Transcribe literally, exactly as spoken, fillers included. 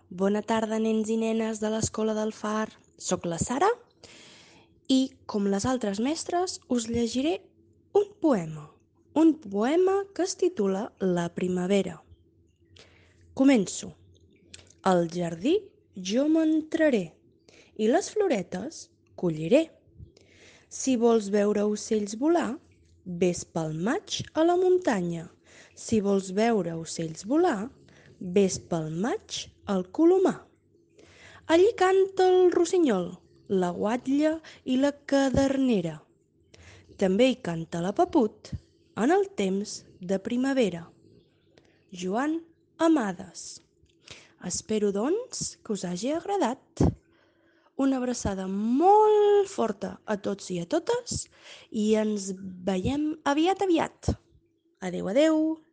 Bona tarda, nens i nenes de l'Escola del Far. Soc la Sara i, com les altres mestres, us llegiré un poema. Un poema que es titula La primavera. Començo. Al jardí jo m'entraré i les floretes colliré. Si vols veure ocells volar, vés pel maig a la muntanya. Si vols veure ocells volar, vés pel maig al Colomar. Allí canta el rossinyol, la guatlla i la cadernera. També hi canta la paput en el temps de primavera. Joan Amades. Espero, doncs, que us hagi agradat. Una abraçada molt forta a tots i a totes i ens veiem aviat aviat. Adeu, adeu.